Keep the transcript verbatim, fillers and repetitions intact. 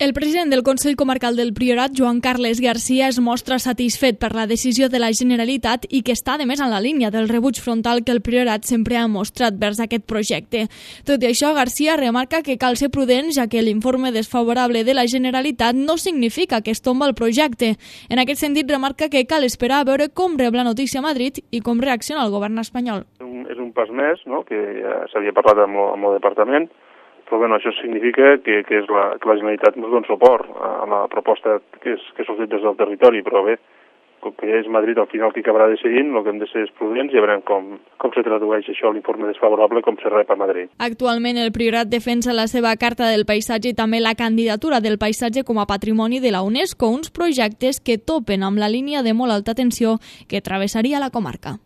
El president del Consell Comarcal del Priorat, Joan Carles Garcia, es mostra satisfet per la decisió de la Generalitat i que està, a més, en la línia del rebuig frontal que el Priorat sempre ha mostrat vers aquest projecte. Tot i això, Garcia remarca que cal ser prudent, ja que l'informe desfavorable de la Generalitat no significa que es tomba el projecte. En aquest sentit, remarca que cal esperar a veure com rep la notícia a Madrid i com reacciona el govern espanyol. És un pas més, no?, que ja s'havia parlat amb el, amb el departament, però bueno, això significa que, que, és la, que la Generalitat ens dona suport a la proposta que, és, que ha sortit des del territori, però bé, com que és Madrid al final qui acabarà decidint, el que hem de ser és prudents i ja veurem com, com se tradueix això a l'informe desfavorable, com se rep a Madrid. Actualment el Priorat defensa la seva Carta del Paisatge i també la candidatura del paisatge com a patrimoni de la UNESCO, uns projectes que topen amb la línia de molt alta tensió que travessaria la comarca.